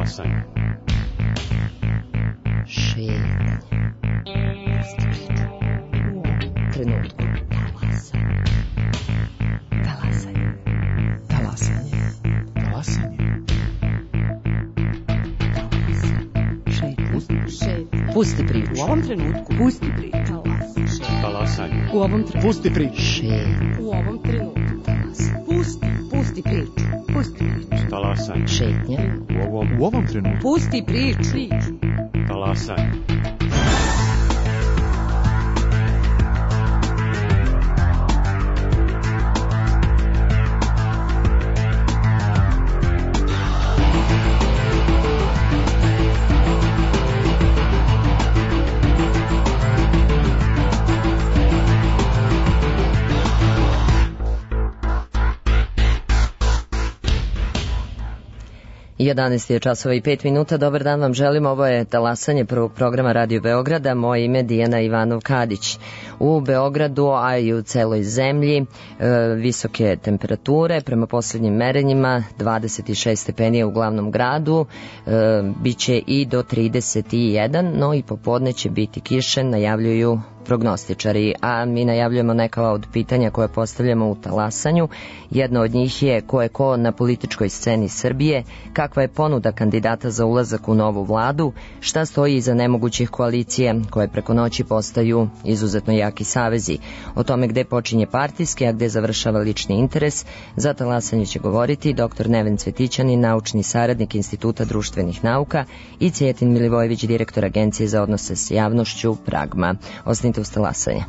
Talasanje. Šetnje. Trenutku. Talasanje. Talasanje. Talasanje. Šetnje. Pusti priču. U ovom trenutku. Pusti priču. Talasanje. U ovom trenutku. Pusti priču. Šetnje. U ovom trenutku. Pusti priču. Pusti priču. Talasanje. Šetnje. U ovom trenutku. Pusti priču. Talasanje. I 11 je časova i 5 minuta. Dobar dan vam želim. Ovo je talasanje prvog programa Radio Beograda. Moje ime je Dijana Ivanov-Kadić. U Beogradu, a i u celoj zemlji, visoke temperature. Prema posljednjim merenjima 26 stepenija u glavnom gradu. Biće i do 31, no i popodne će biti kiše, najavljuju prognostičari, a mi najavljujemo neka od pitanja koje postavljamo u talasanju. Jedno od njih je ko je ko na političkoj sceni Srbije, kakva je ponuda kandidata za ulazak u novu vladu, šta stoji iza nemogućih koalicija koje preko noći postaju izuzetno jaki savezi. O tome gde počinje partijski, a gde završava lični interes, za talasanje će govoriti dr. Neven Cvetićanin, naučni saradnik Instituta društvenih nauka, i Cjetin Milivojević, direktor Agencije za odnose s javnošću Pragma. Ostanite uz talasanje.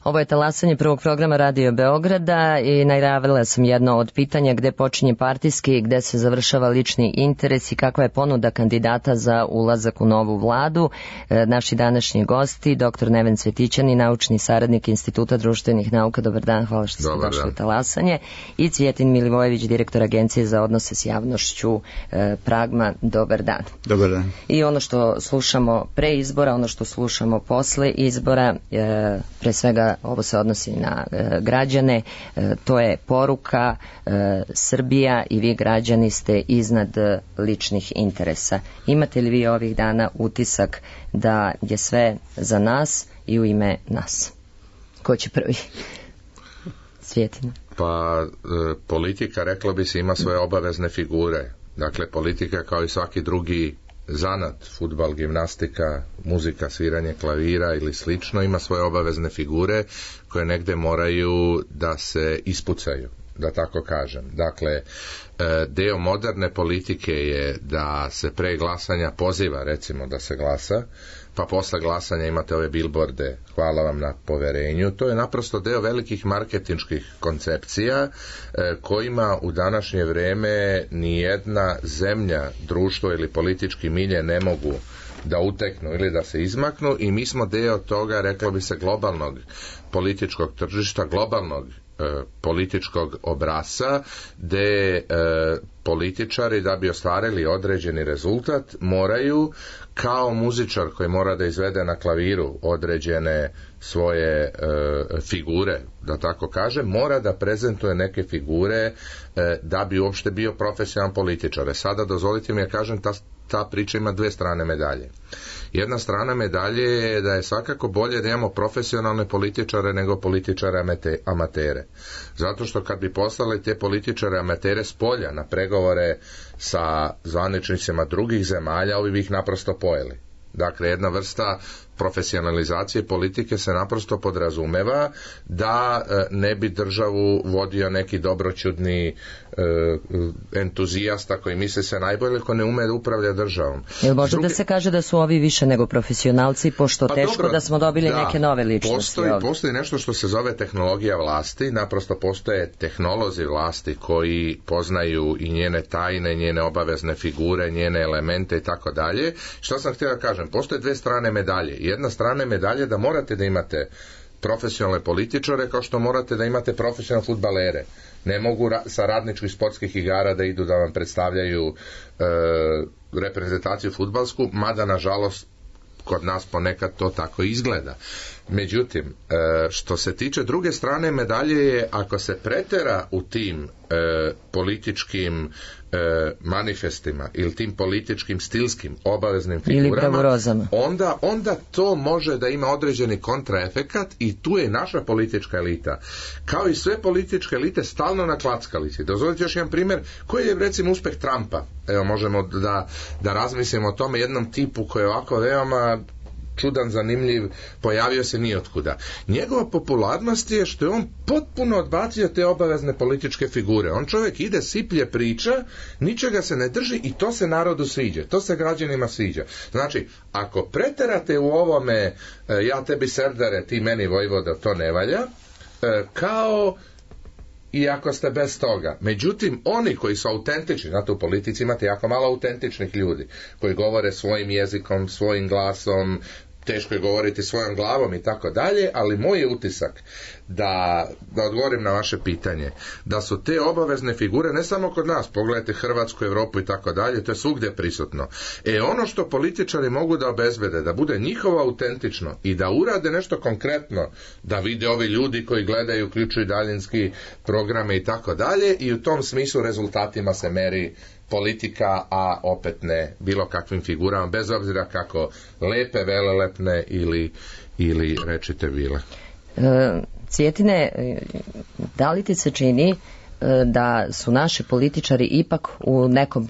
Ovo je talasanje prvog programa Radio Beograda i najavila sam jedno od pitanja gde počinje partijski, gde se završava lični interes i kakva je ponuda kandidata za ulazak u novu vladu. Naši današnji gosti, dr. Neven Cvetićanin, naučni saradnik Instituta društvenih nauka. Dobar dan, hvala što ste došli u talasanje. I Cvijetin Milivojević, direktor Agencije za odnose s javnošću Pragma. Dobar dan. Dobar dan. I ono što slušamo pre izbora, ono što slušamo posle izbora, pre svega ovo se odnosi na građane, to je poruka Srbija i vi građani ste iznad ličnih interesa. Imate li vi ovih dana utisak da je sve za nas i u ime nas? Ko će prvi? Cvijetina. Pa politika, reklo bi se, ima svoje obavezne figure. Dakle, politika kao i svaki drugi zanat, fudbal, gimnastika, muzika, sviranje klavira ili slično, ima svoje obavezne figure koje negde moraju da se ispucaju, da tako kažem. Dakle, deo moderne politike je da se pre glasanja poziva, recimo, da se glasa, pa posle glasanja imate ove bilborde, hvala vam na poverenju. To je naprosto deo velikih marketinških koncepcija kojima u današnje vreme nijedna zemlja, društvo ili politički milje ne mogu da uteknu ili da se izmaknu i mi smo deo toga, reklo bi se, globalnog političkog tržišta, globalnog političkog obrasca, gde političari da bi ostvarili određeni rezultat moraju, kao muzičar koji mora da izvede na klaviru određene svoje figure, da tako kažem, mora da prezentuje neke figure da bi uopšte bio profesionalan političar. Sada dozvolite mi da kažem, ta priča ima dve strane medalje. Jedna strana medalje je da je svakako bolje da imamo profesionalne političare nego političare amatere. Zato što kad bi poslali te političare amatere s polja na pregovore sa zvaničnicima drugih zemalja, ovi bi ih naprosto pojeli. Dakle, jedna vrsta profesionalizacije politike se naprosto podrazumeva da ne bi državu vodio neki dobroćudni entuzijasta koji misli se najbolje, ko ne ume da upravlja državom. Jel može da se kaže da su ovi više nego profesionalci, pošto teško dobro, da smo dobili neke nove ličnosti? Postoji nešto što se zove tehnologija vlasti, naprosto postoje tehnolozi vlasti koji poznaju i njene tajne, njene obavezne figure, njene elemente i tako dalje. Što sam htio da kažem, postoje dve strane medalje. Jedna strana medalje da morate da imate profesionalne političare kao što morate da imate profesionalne fudbalere. Ne mogu sa radničkih sportskih igara da idu da vam predstavljaju reprezentaciju fudbalsku, mada nažalost kod nas ponekad to tako izgleda. Međutim, što se tiče druge strane medalje je, ako se pretera u tim političkim manifestima ili tim političkim stilskim obaveznim figurama, onda to može da ima određeni kontraefekat i tu je naša politička elita, kao i sve političke elite, stalno na klackalici. Dozvolite još jedan primjer, koji je recimo uspeh Trumpa. Evo, možemo da razmislimo o tome, jednom tipu koji je ovako veoma čudan, zanimljiv, pojavio se nijotkuda. Njegova popularnost je što je on potpuno odbacio te obavezne političke figure. On čovjek ide, siplje priča, ničega se ne drži i to se narodu sviđa. To se građanima sviđa. Znači, ako preterate u ovome ja tebi serdare, ti meni vojvoda, to ne valja, kao i ako ste bez toga. Međutim, oni koji su autentični, znate, u politici imate jako malo autentičnih ljudi koji govore svojim jezikom, svojim glasom, teško je govoriti svojom glavom i tako dalje, ali moj je utisak da odgovorim na vaše pitanje, da su te obavezne figure ne samo kod nas, pogledajte Hrvatsku, Evropu i tako dalje, to je svugdje prisutno. Ono što političari mogu da obezbede, da bude njihovo autentično i da urade nešto konkretno, da vide ovi ljudi koji gledaju, uključuju daljinski programe i tako dalje, i u tom smislu rezultatima se meri politika, a opet ne bilo kakvim figurama, bez obzira kako lepe, velelepne ili rečite bile. Cvjetine, da li ti se čini da su naši političari ipak u nekom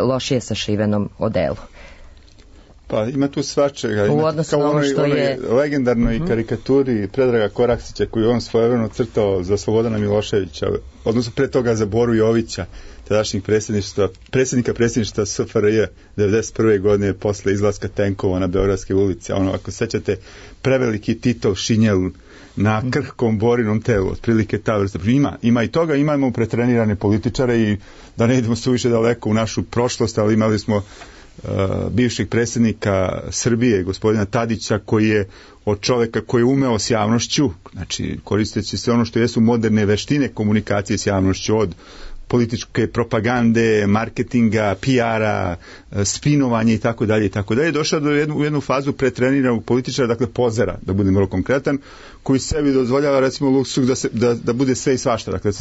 lošije sašivenom odelu? Pa ima tu svačega. U odnosu na ovo što je legendarnoj karikaturi Predraga Koraksića koju on svojevremeno crtao za Slobodana Miloševića, odnosno pre toga za Boru Jovića, tadašnjih predsjednika predsjedništva SFRJ 1991. godine posle izlaska tenkova na Beogradske ulice. Ako sećate, preveliki Titov šinjel na krhkom Borinom telu, otprilike ta vrsta. Ima i toga, imamo pretrenirane političare i da ne idemo suviše daleko u našu prošlost, ali imali smo bivšeg predsjednika Srbije, gospodina Tadića, koji je od čoveka koji je umeo s javnošću, znači koristeći sve ono što jesu moderne veštine komunikacije s javnošću, od političke propagande, marketinga, PR-a, spinovanja i tako dalje, došao do jednu fazu pretreniranog političara, dakle pozera, da budem vrlo konkretan, koji sebi dozvoljava recimo luksuz da bude sve i svašta, dakle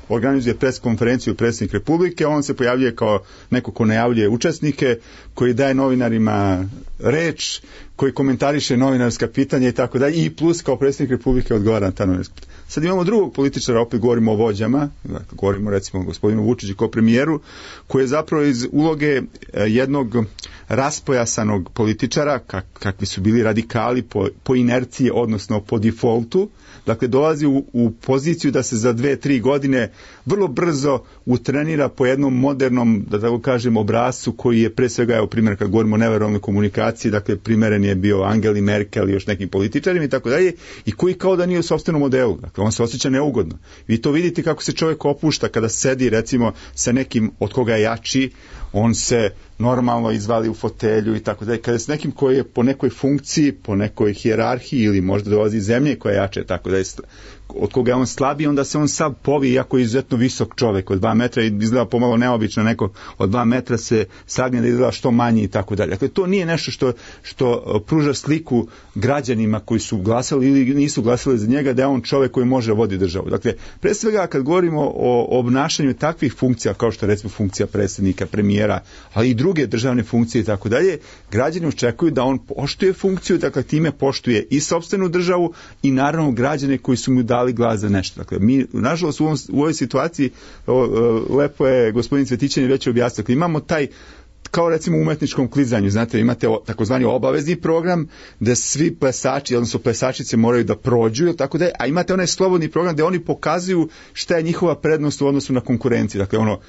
organizuje pres konferenciju predsjednik Republike, on se pojavljuje kao neko ko najavljuje učesnike, koji daje novinarima reč, koji komentariše novinarska pitanja i tako dalje, i plus kao predsjednik Republike odgovara na ta novinarska pitanja. Sad imamo drugog političara, opet govorimo o vođama, dakle, govorimo recimo o gospodinu Vučiću kao premijeru, koji je zapravo iz uloge jednog raspojasanog političara, kakvi su bili radikali po inerciji, odnosno po defaultu, dakle dolazi u poziciju da se za 2-3 godine vrlo brzo utrenira po jednom modernom, da tako kažem, obrascu koji je pre svega, evo primjer kad govorimo o neverovatnoj komunikaciji, dakle primjeren je bio Angeli Merkel i još nekim političarima i tako dalje, i koji kao da nije u sopstvenom modelu, dakle on se osjeća neugodno. Vi to vidite kako se čovjek opušta kada sedi recimo sa nekim od koga je jači, on se normalno izvali u fotelju i tako dalje. Kada je s nekim koji je po nekoj funkciji, po nekoj hijerarhiji ili možda dolazi iz zemlje koja je jače, tako da je od koga je on slabiji, onda se on sav povi, iako je izuzetno visok čovjek od 2 metra i izgleda pomalo neobično, neko od 2 metra se sagne da izgleda što manji i tako dalje. Dakle, to nije nešto što pruža sliku građanima koji su glasali ili nisu glasali za njega, da je on čovjek koji može voditi državu. Dakle, pre svega kad govorimo o obnašanju takvih funkcija, kao što je recimo funkcija predsjednika, premijera, ali i druge državne funkcije i tako dalje, građani očekuju da on poštuje funkciju, dakle time poštuje i sopstvenu državu i naravno građane koji su mu dali glas za nešto. Dakle, mi, nažalost, u ovoj situaciji, lepo je gospodin Cvetićanin već objasnio, dakle, imamo taj, kao recimo u umetničkom klizanju, znate, imate takozvani obavezni program gde svi plesači, odnosno plesačice moraju da prođu, tako da, a imate onaj slobodni program gde oni pokazuju šta je njihova prednost u odnosu na konkurenciju. Dakle, ono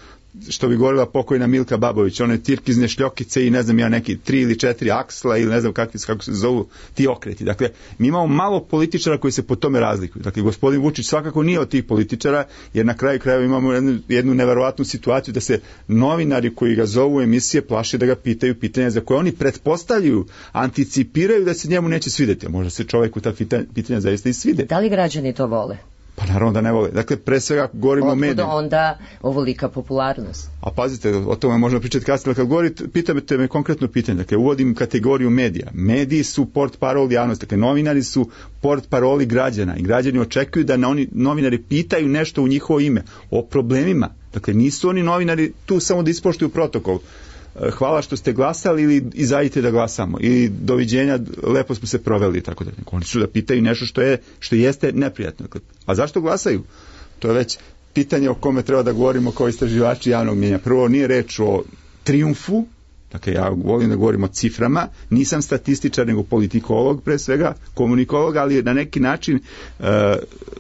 što bi govorila pokojna Milka Babović, one tirkizne šljokice i ne znam ja neki 3 ili 4 aksla ili ne znam kako se zovu ti okreti. Dakle, mi imamo malo političara koji se po tome razlikuju. Dakle, gospodin Vučić svakako nije od tih političara, jer na kraju krajeva imamo jednu neverovatnu situaciju da se novinari koji ga zovu u emisije plaše da ga pitaju pitanja za koje oni pretpostavljaju, anticipiraju da se njemu neće svidjeti. A možda se čovjeku ta pitanja zaista i svide. Da li građani to vole? Pa naravno da ne vole. Dakle, pre svega govorimo o medijima. Onda ovolika popularnost. A pazite, o tome možemo pričati kasnije, kad govorite, pitate me konkretno pitanje. Dakle, uvodim kategoriju medija. Mediji su portparoli javnosti, dakle, novinari su portparoli građana i građani očekuju da novinari pitaju nešto u njihovo ime, o problemima. Dakle, nisu oni novinari tu samo da ispoštuju protokol. Hvala što ste glasali ili izađite da glasamo ili doviđenja, lepo smo se proveli i tako dalje. Oni su da pitaju nešto što jeste neprijatno. A zašto glasaju? To je već pitanje o kome treba da govorimo kao istraživači javnog mnjenja. Prvo, nije reč o trijumfu, dakle ja volim da govorim o ciframa, nisam statističar nego politikolog pre svega, komunikolog, ali na neki način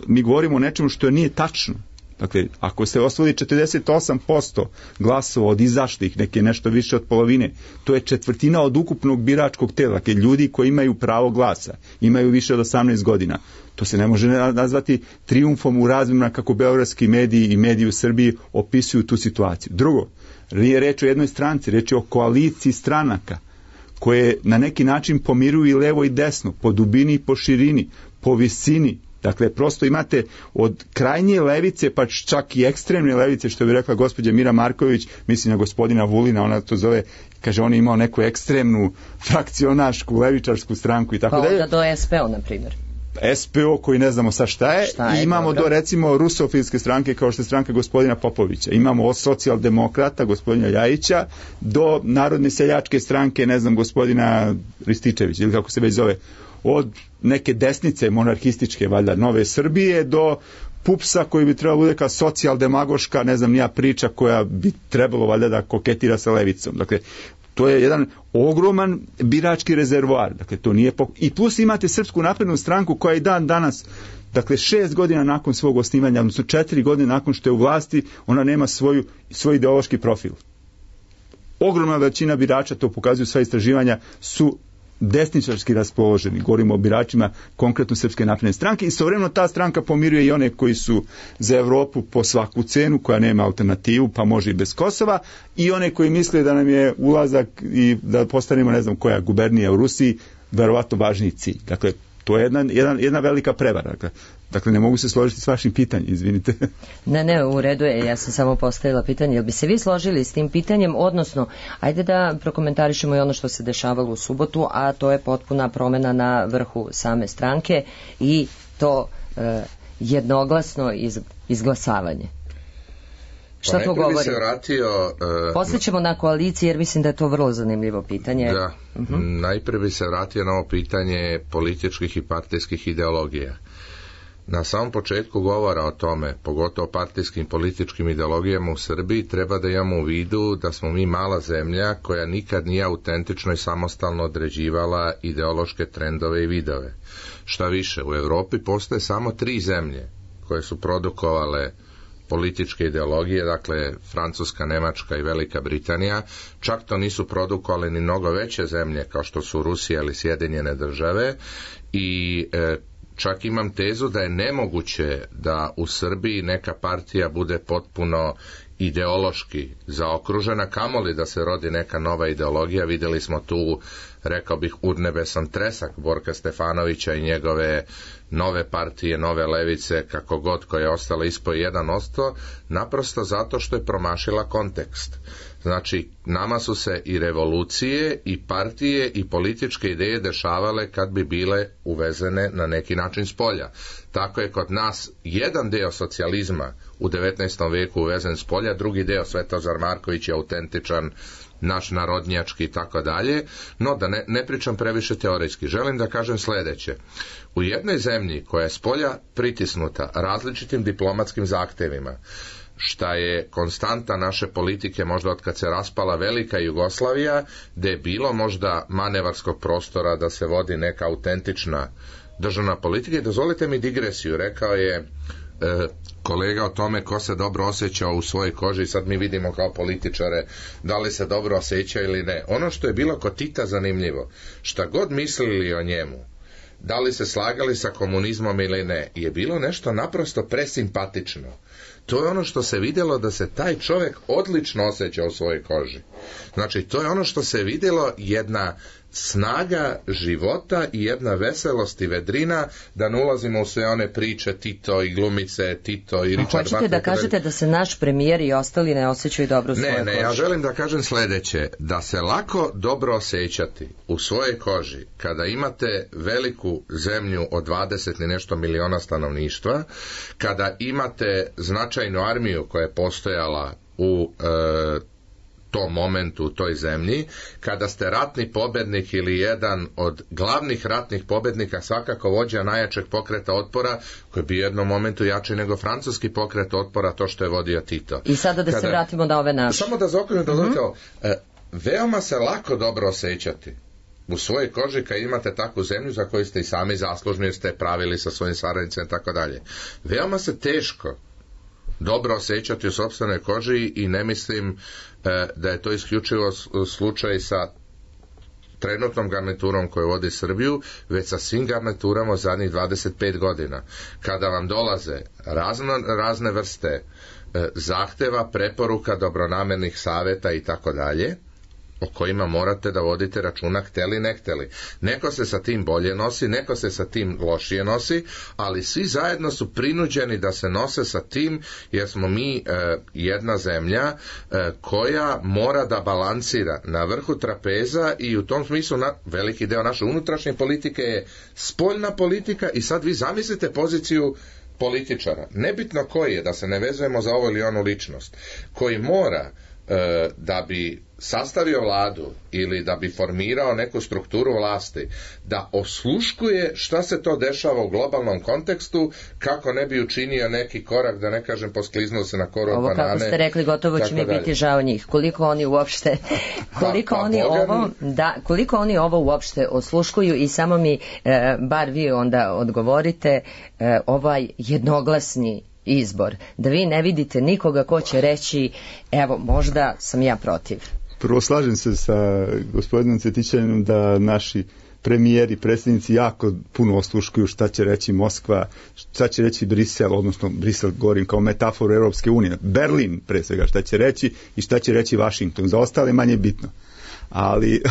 mi govorimo o nečemu što nije tačno. Dakle, ako se osvoji 48% glasova od izašlih, neke nešto više od polovine, to je 1/4 od ukupnog biračkog tela, dakle ljudi koji imaju pravo glasa, imaju više od 18 godina. To se ne može nazvati trijumfom u razmjerima kako beogradski mediji i mediji u Srbiji opisuju tu situaciju. Drugo, nije reč o jednoj stranci, reč je o koaliciji stranaka koje na neki način pomiruju i levo i desno, po dubini i po širini, po visini. Dakle, prosto imate od krajnje levice, pa čak i ekstremne levice, što bi rekla gospođa Mira Marković, mislim na gospodina Vulina, ona to zove, kaže, on je imao neku ekstremnu frakcionašku, levičarsku stranku i tako dalje. Pa onda do SPO, na primjer. SPO koji ne znamo sa šta je, i imamo do recimo rusofilske stranke kao što je stranka gospodina Popovića, imamo od socijaldemokrata gospodina Ljajića do narodne seljačke stranke, ne znam, gospodina Rističevića ili kako se već zove, od neke desnice monarhističke, valjda, Nove Srbije, do PUPS-a koji bi trebalo bude kao socijaldemagoška, ne znam, nija priča koja bi trebalo valjda da koketira sa levicom. Dakle, to je jedan ogroman birački rezervoar. Dakle, to nije i plus imate Srpsku naprednu stranku koja i dan danas, dakle 6 godina nakon svog osnivanja, odnosno 4 godine nakon što je u vlasti, ona nema svoj ideološki profil. Ogromna većina birača, to pokazuju sva istraživanja, su desničarski raspoloženi. Govorimo o biračima konkretno Srpske napredne stranke i istovremeno ta stranka pomiruje i one koji su za Evropu po svaku cenu, koja nema alternativu, pa može i bez Kosova, i one koji misle da nam je ulazak i da postanemo ne znam koja gubernija u Rusiji verovatno važniji cilj. Dakle, to je jedna velika prevara. Dakle, ne mogu se složiti s vašim pitanjem, izvinite. Ne, u redu je, ja sam samo postavila pitanje. Jel bi se vi složili s tim pitanjem, odnosno, ajde da prokomentarišemo i ono što se dešavalo u subotu, a to je potpuna promena na vrhu same stranke i to jednoglasno izglasavanje. Šta to govori? Poslije ćemo na koaliciji, jer mislim da je to vrlo zanimljivo pitanje. Da, najprije bi se vratio na ovo pitanje političkih i partijskih ideologija. Na samom početku govora o tome, pogotovo partijskim političkim ideologijama u Srbiji, treba da imamo u vidu da smo mi mala zemlja koja nikad nije autentično i samostalno određivala ideološke trendove i vidove. Šta više, u Evropi postoje samo 3 zemlje koje su produkovale političke ideologije, dakle Francuska, Nemačka i Velika Britanija. Čak to nisu produkovale ni mnogo veće zemlje kao što su Rusija ili Sjedinjene Države i čak imam tezu da je nemoguće da u Srbiji neka partija bude potpuno ideološki zaokružena, kamoli da se rodi neka nova ideologija. Vidjeli smo tu, rekao bih, urnebesan tresak Borka Stefanovića i njegove nove partije, nove levice, kako god, koja je ostala ispod 1%, naprosto zato što je promašila kontekst. Znači, nama su se i revolucije, i partije, i političke ideje dešavale kad bi bile uvezene na neki način s polja. Tako je kod nas jedan deo socijalizma u 19. veku uvezen s polja, drugi deo Svetozar Marković je autentičan, naš narodnjački i tako dalje, no da ne pričam previše teorijski. Želim da kažem sljedeće. U jednoj zemlji koja je s polja pritisnuta različitim diplomatskim zahtevima, šta je konstanta naše politike možda od kad se raspala velika Jugoslavija, gde je bilo možda manevarskog prostora da se vodi neka autentična državna politika. I dozvolite mi digresiju, rekao je kolega o tome ko se dobro osjeća u svojoj koži, sad mi vidimo kao političare da li se dobro osjeća ili ne. Ono što je bilo kod Tita zanimljivo, šta god mislili o njemu, da li se slagali sa komunizmom ili ne, je bilo nešto naprosto presimpatično. To je ono što se vidjelo da se taj čovjek odlično osjeća u svojoj koži. Znači, to je ono što se vidjelo, jedna snaga života i jedna veselost i vedrina, da ne ulazimo u sve one priče Tito i glumice Tito i Richard Butler. Hoćete da kažete da se naš premijer i ostali ne osjećaju dobro u svojoj koži? Ne, ja želim da kažem sljedeće, da se lako dobro osjećati u svojoj koži kada imate veliku zemlju od 20 i nešto miliona stanovništva, kada imate značajnu armiju koja je postojala u tom momentu u toj zemlji, kada ste ratni pobednik ili jedan od glavnih ratnih pobednika, svakako vođa najjačeg pokreta otpora, koji bi u jednom momentu jači nego francuski pokret otpora, to što je vodio Tito. I sada da se vratimo na ove naše. Samo da zaokružim, veoma se lako dobro osjećati u svojoj koži kad imate takvu zemlju za koju ste i sami zaslužni, jer ste pravili sa svojim saradnicima i tako dalje. Veoma se teško dobro osjećati u sopstvenoj koži i ne mislim da je to isključivo slučaj sa trenutnom garniturom koju vodi Srbiju, već sa svim garniturama zadnjih 25 godina. Kada vam dolaze razne vrste zahteva, preporuka, dobronamernih savjeta i tako dalje, o kojima morate da vodite računa hteli ne hteli. Neko se sa tim bolje nosi, neko se sa tim lošije nosi, ali svi zajedno su prinuđeni da se nose sa tim, jer smo mi jedna zemlja koja mora da balansira na vrhu trapeza i u tom smislu veliki deo naše unutrašnje politike je spoljna politika. I sad vi zamislite poziciju političara, nebitno koji je, da se ne vezujemo za ovo ili onu ličnost, koji mora da bi sastavio vladu ili da bi formirao neku strukturu vlasti, da osluškuje šta se to dešava u globalnom kontekstu, kako ne bi učinio neki korak, da ne kažem poskliznuo se na koru od banane. Ovo kako ste rekli, gotovo će mi biti žao njih. Koliko oni uopšte koliko oni ovo uopšte osluškuju i samo mi bar vi onda odgovorite ovaj jednoglasni izbor, da vi ne vidite nikoga ko će reći evo možda sam ja protiv. Prvo slažem se sa gospodinom Cvetićaninom da naši premijeri, predsjednici jako puno osluškuju šta će reći Moskva, šta će reći Brisel, odnosno Brisel govorim kao metaforu Europske unije, Berlin pre svega šta će reći i šta će reći Washington, za ostale manje bitno. Ali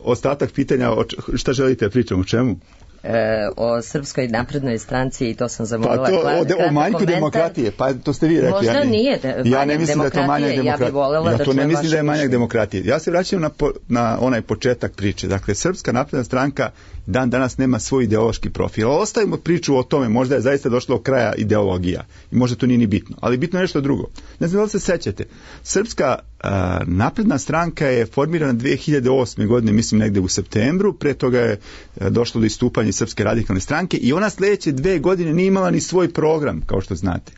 ostatak pitanja, šta želite pričam, o čemu? O Srpskoj naprednoj stranci i to sam zamolila. O manjku demokratije, pa to ste vi rekli. Možda nije ja ne mislim da je to manjak demokratije. Ja to ne mislim da je manjak demokratije. Ja se vraćam na onaj početak priče. Dakle, Srpska napredna stranka dan danas nema svoj ideološki profil. Ostavimo priču o tome, možda je zaista došlo do kraja ideologija i možda to nije ni bitno. Ali bitno je nešto drugo. Ne znam da li se sećate. Srpska napredna stranka je formirana 2008. godine, mislim negde u septembru, pre toga je došlo do istupanja Srpske radikalne stranke i ona sljedeće 2 godine nije imala ni svoj program, kao što znate.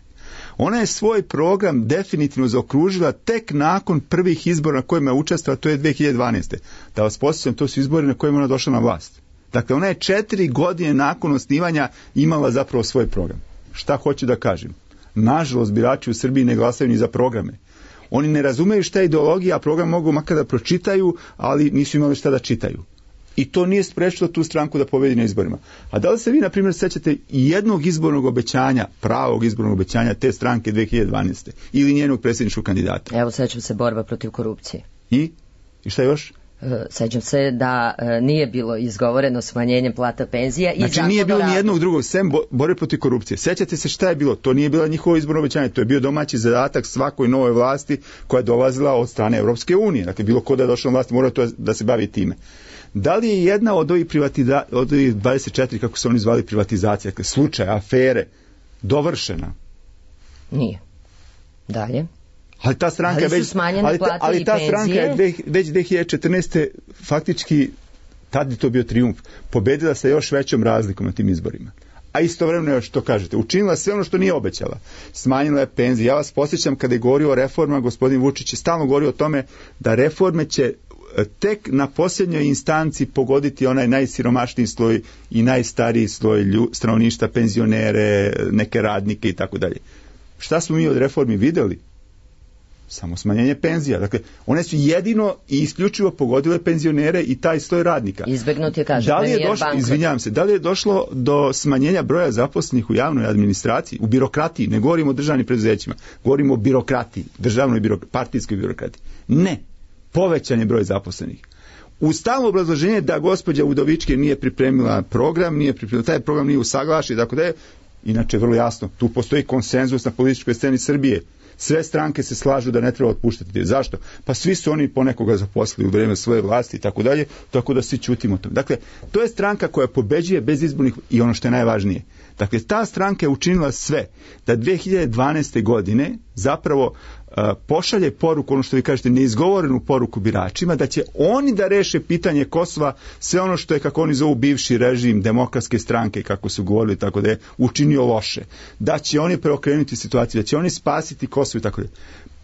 Ona je svoj program definitivno zaokružila tek nakon prvih izbora na kojima je učestvovala, to je 2012. Da vas podsjećam, to su izbori na kojima ona došla na vlast. Dakle, ona je 4 godine nakon osnivanja imala zapravo svoj program. Šta hoću da kažem? Nažalost, birači u Srbiji ne glasaju ni za programe. Oni ne razumeju šta je ideologija, a program mogu makar da pročitaju, ali nisu imali šta da čitaju. I to nije sprečilo tu stranku da pobedi na izborima. A da li se vi, na primjer, sećate jednog izbornog obećanja, pravog izbornog obećanja te stranke 2012. ili njenog predsjedničkog kandidata? Evo, sećam se borba protiv korupcije. I šta još? Sećam se da nije bilo izgovoreno smanjenjem plata penzija. Znači nije bilo ni jednog drugog, sem borbe protiv korupcije. Sećate se šta je bilo? To nije bilo njihovo izborno obećanje, to je bio domaći zadatak svakoj novoj vlasti koja je dolazila od strane Europske unije. Dakle, bilo ko da je došao na vlast mora to da se bavi time. Da li je jedna od ovih 24, kako se oni zvali, privatizacija, dakle, slučaj, afere, dovršena? Nije. Dalje? Ali ta stranka je već već 2014. faktički, tad je to bio trijumf, pobedila se još većom razlikom na tim izborima. A istovremeno, što kažete, učinila sve ono što nije obećala. Smanjila je penzije. Ja vas posjećam kada je govorio o reformama, gospodin Vučić je stalno govorio o tome da reforme će tek na posljednjoj instanci pogoditi onaj najsiromašniji sloj i najstariji sloj stanovništva, penzionere, neke radnike i tako dalje. Šta smo mi od reformi vidjeli? Samo smanjenje penzija. Dakle, one su jedino i isključivo pogodile penzionere i taj sloj radnika. Izbegnut je, kaže, izvinjavam se, da li je došlo do smanjenja broja zaposlenih u javnoj administraciji, u birokratiji, ne govorimo o državnim preduzećima, govorimo o birokratiji, državnoj partijskoj birokratiji. Ne, povećan je broj zaposlenih. U stalno obrazloženje da gospođa Udovički nije pripremila program, taj program nije usaglašen, tako da je, inače vrlo jasno, tu postoji konsenzus na političkoj sceni Srbije. Sve stranke se slažu da ne treba otpuštati. Zašto? Pa svi su oni ponekoga zaposlili u vrijeme svoje vlasti i tako dalje, tako da svi ćutimo to. Dakle, to je stranka koja pobeđuje bez izbornih i ono što je najvažnije. Dakle, ta stranka je učinila sve da 2012. godine zapravo pošalje poruku, ono što vi kažete, neizgovorenu poruku biračima, da će oni da reše pitanje Kosova, sve ono što je, kako oni zovu, bivši režim demokratske stranke, kako su govorili, tako da je učinio loše. Da će oni preokrenuti situaciju, da će oni spasiti Kosovo i tako da.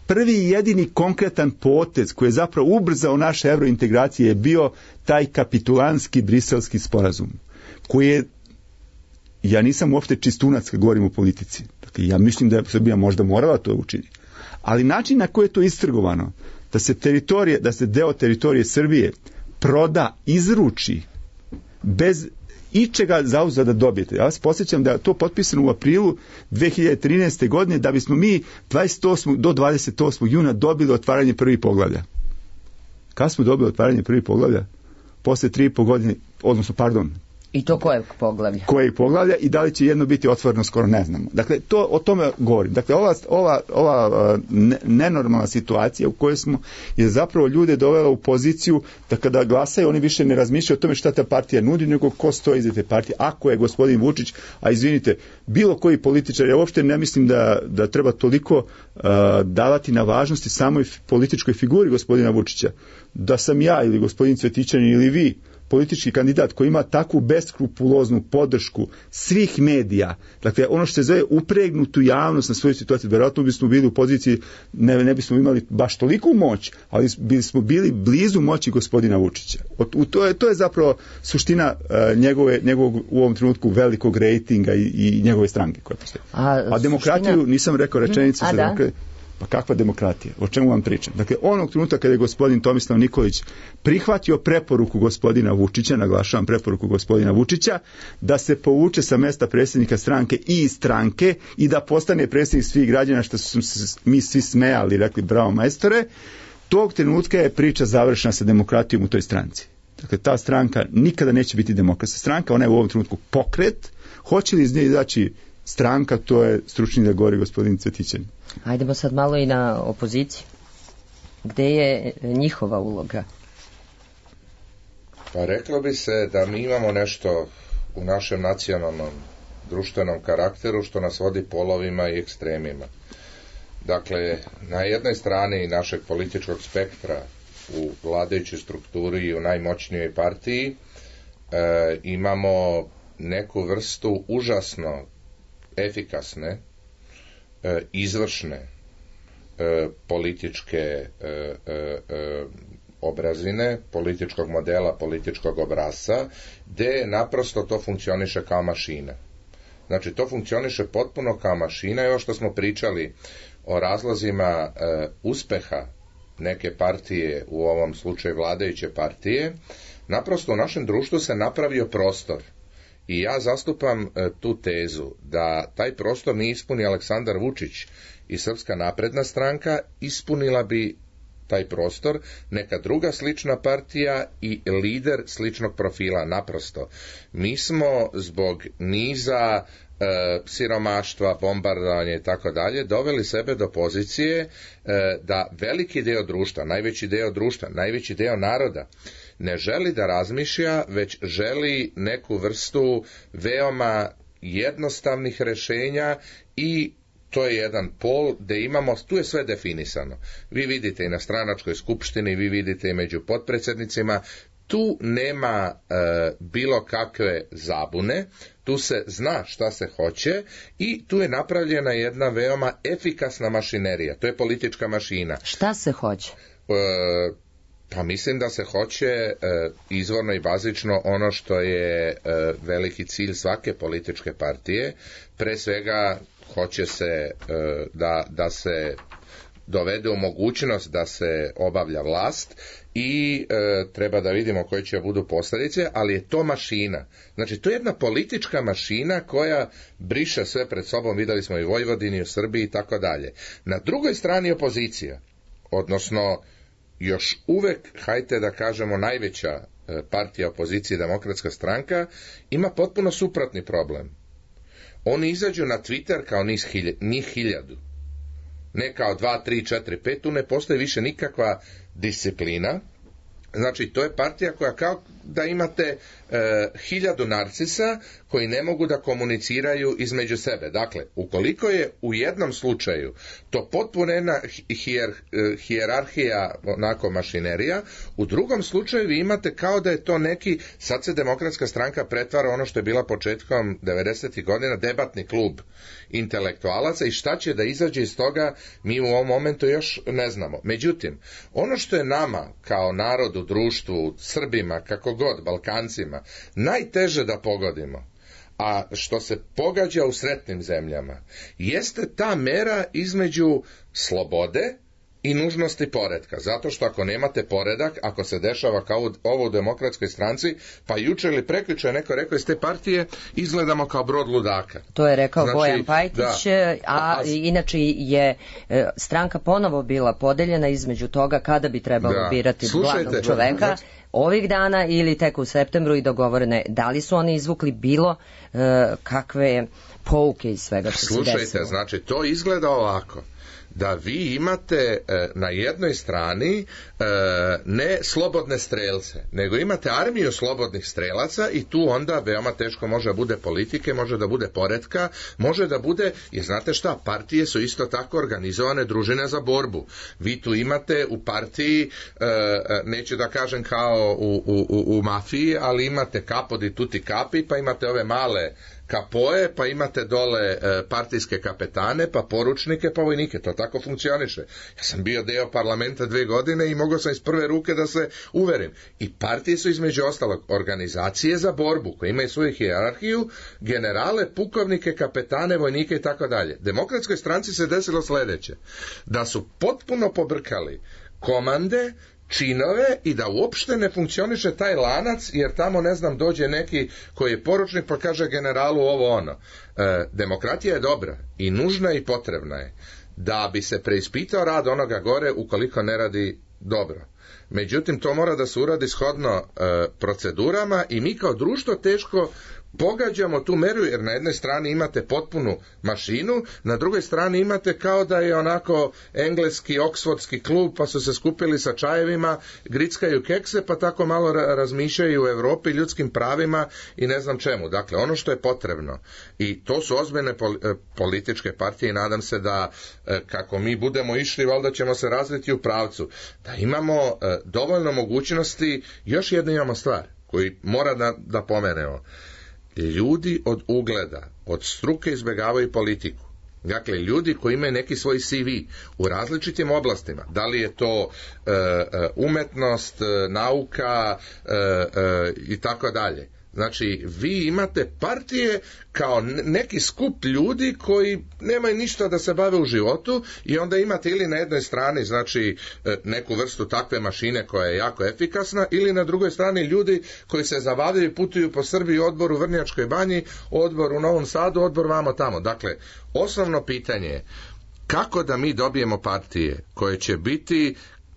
Prvi i jedini konkretan potez koji je zapravo ubrzao naše evrointegracije je bio taj kapitulanski briselski sporazum, koji je, ja nisam uopšte čistunac kad govorim o politici. Dakle, ja mislim da je Srbija možda morala to učiniti. Ali način na koji je to istrgovano, da se deo teritorije Srbije proda, izruči, bez ičega zauzada dobijete. Ja vas posjećam da je to potpisano u aprilu 2013. godine, da bismo mi 28. do 28. juna dobili otvaranje prvih poglavlja. Kad smo dobili otvaranje prvih poglavlja? Posle 3,5 godine, odnosno, I to kojeg poglavlja? Kojeg poglavlja i da li će jedno biti otvoreno, skoro ne znamo. Dakle, to o tome govorim. Dakle, ova nenormalna situacija u kojoj smo je zapravo ljude dovela u poziciju da kada glasaju oni više ne razmišljaju o tome šta ta partija nudi, nego ko stoji iza te partije. Ako je gospodin Vučić, a izvinite, bilo koji političar, ja uopšte ne mislim da treba toliko davati na važnosti samoj političkoj figuri gospodina Vučića. Da sam ja ili gospodin Cvetićanin ili vi politički kandidat koji ima takvu beskrupuloznu podršku svih medija, dakle ono što se zove upregnutu javnost na svoju situaciju, vjerojatno bismo bili u poziciji, ne bismo imali baš toliku moć, ali bismo bili blizu moći gospodina Vučića. To je zapravo suština njegovog u ovom trenutku velikog rejtinga i njegove stranke koja postoji. A demokratiju, nisam rekao rečenicu za demokratiju. Pa kakva demokratija? O čemu vam pričam? Dakle, onog trenutka kada je gospodin Tomislav Nikolić prihvatio preporuku gospodina Vučića, naglašavam preporuku gospodina Vučića, da se povuče sa mesta predsjednika stranke i iz stranke i da postane predsjednik svih građana, što su mi svi smejali, rekli bravo majstore, tog trenutka je priča završena sa demokratijom u toj stranci. Dakle, ta stranka nikada neće biti demokratska stranka, ona je u ovom trenutku pokret. Hoće li iz nje izaći stranka, to je stručni da govori gospodin Cvetićanin. Ajdemo sad malo i na opoziciju. Gde je njihova uloga? Pa reklo bi se da mi imamo nešto u našem nacionalnom društvenom karakteru što nas vodi polovima i ekstremima. Dakle, na jednoj strani našeg političkog spektra u vladajućoj strukturi i u najmoćnijoj partiji imamo neku vrstu užasno efikasne, izvršne političke obrazine, političkog modela, političkog obrasca, gde naprosto to funkcioniše kao mašina. Znači, to funkcioniše potpuno kao mašina i ovo što smo pričali o razlozima uspeha neke partije, u ovom slučaju vladajuće partije, naprosto u našem društvu se napravio prostor. I ja zastupam tu tezu da taj prostor nije ispunio Aleksandar Vučić i Srpska napredna stranka, ispunila bi taj prostor neka druga slična partija i lider sličnog profila. Naprosto, mi smo zbog niza siromaštva, bombardovanja i tako dalje, doveli sebe do pozicije da veliki deo društva, najveći deo naroda ne želi da razmišlja, već želi neku vrstu veoma jednostavnih rešenja i to je jedan pol gde imamo, tu je sve definisano. Vi vidite i na stranačkoj skupštini, vi vidite i među potpredsjednicima, tu nema bilo kakve zabune, tu se zna šta se hoće i tu je napravljena jedna veoma efikasna mašinerija, to je politička mašina. Šta se hoće? Pa mislim da se hoće izvorno i bazično ono što je veliki cilj svake političke partije, pre svega hoće se da se dovede u mogućnost da se obavlja vlast i treba da vidimo koje će budu posljedice, ali je to mašina. Znači, to je jedna politička mašina koja briše sve pred sobom, videli smo i u Vojvodini, u Srbiji i tako dalje. Na drugoj strani opozicija, odnosno još uvek, hajte da kažemo, najveća partija opozicije, Demokratska stranka, ima potpuno suprotni problem. Oni izađu na Twitter kao njih 1000. Ne kao 2, 3, 4, 5, tu ne postoji više nikakva disciplina. Znači, to je partija koja kao da imate 1000 narcisa koji ne mogu da komuniciraju između sebe. Dakle, ukoliko je u jednom slučaju to potpuno jedna hijerarhija, onako mašinerija, u drugom slučaju vi imate kao da je to neki, sad se Demokratska stranka pretvara ono što je bila početkom 90. godina, debatni klub intelektualaca i šta će da izađe iz toga, mi u ovom momentu još ne znamo. Međutim, ono što je nama kao narodu, društvu, Srbima, kako god, Balkancima, najteže da pogodimo, a što se pogađa u sretnim zemljama, jeste ta mera između slobode i nužnosti poretka. Zato što ako nemate poredak, ako se dešava kao ovo u Demokratskoj stranci, pa juče ili prekjuče neko rekao iz te partije, izgledamo kao brod ludaka. To je rekao Znači, Bojan Pajtić, inače je stranka ponovo bila podeljena između toga kada bi trebalo birati glavnog čoveka. Ovih dana ili tek u septembru i dogovorene. Da li su oni izvukli bilo kakve pouke iz svega što se desilo? Slušajte, znači to izgleda ovako. Da vi imate na jednoj strani ne slobodne strelce, nego imate armiju slobodnih strelaca i tu onda veoma teško može da bude politike, može da bude poretka, može da bude, jer znate šta, partije su isto tako organizovane družine za borbu. Vi tu imate u partiji, neću da kažem kao u mafiji, ali imate capo di tutti capi, pa imate ove male kapoje, pa imate dole partijske kapetane, pa poručnike, pa vojnike. To tako funkcioniše. Ja sam bio deo parlamenta 2 godine i mogao sam iz prve ruke da se uverim. I partije su između ostalog organizacije za borbu, koje imaju svoju hijerarhiju, generale, pukovnike, kapetane, vojnike i tako dalje. Demokratskoj stranci se desilo sledeće. Da su potpuno pobrkali komande, činove i da uopšte ne funkcioniše taj lanac, jer tamo, ne znam, dođe neki koji je poručnik pa kaže generalu ovo ono. Demokratija je dobra i nužna i potrebna je da bi se preispitao rad onoga gore ukoliko ne radi dobro. Međutim, to mora da se uradi shodno procedurama i mi kao društvo teško pogađamo tu meru, jer na jednoj strani imate potpunu mašinu, na drugoj strani imate kao da je onako engleski, oksfordski klub, pa su se skupili sa čajevima, grickaju kekse, pa tako malo razmišljaju u Evropi, ljudskim pravima i ne znam čemu. Dakle, ono što je potrebno, i to su ozbiljne političke partije i nadam se da kako mi budemo išli, valjda ćemo se razviti u pravcu, da imamo dovoljno mogućnosti. Još jednu imamo stvar koju mora da pomenemo. Ljudi od ugleda, od struke izbjegavaju politiku. Dakle, ljudi koji imaju neki svoj CV u različitim oblastima, da li je to umetnost, nauka i tako dalje. Znači, vi imate partije kao neki skup ljudi koji nemaju ništa da se bave u životu i onda imate ili na jednoj strani, znači, neku vrstu takve mašine koja je jako efikasna, ili na drugoj strani ljudi koji se zabavljaju i putuju po Srbiji, odbor u Vrnjačkoj banji, odbor u Novom Sadu, odbor vamo tamo. Dakle, osnovno pitanje je kako da mi dobijemo partije koje će biti,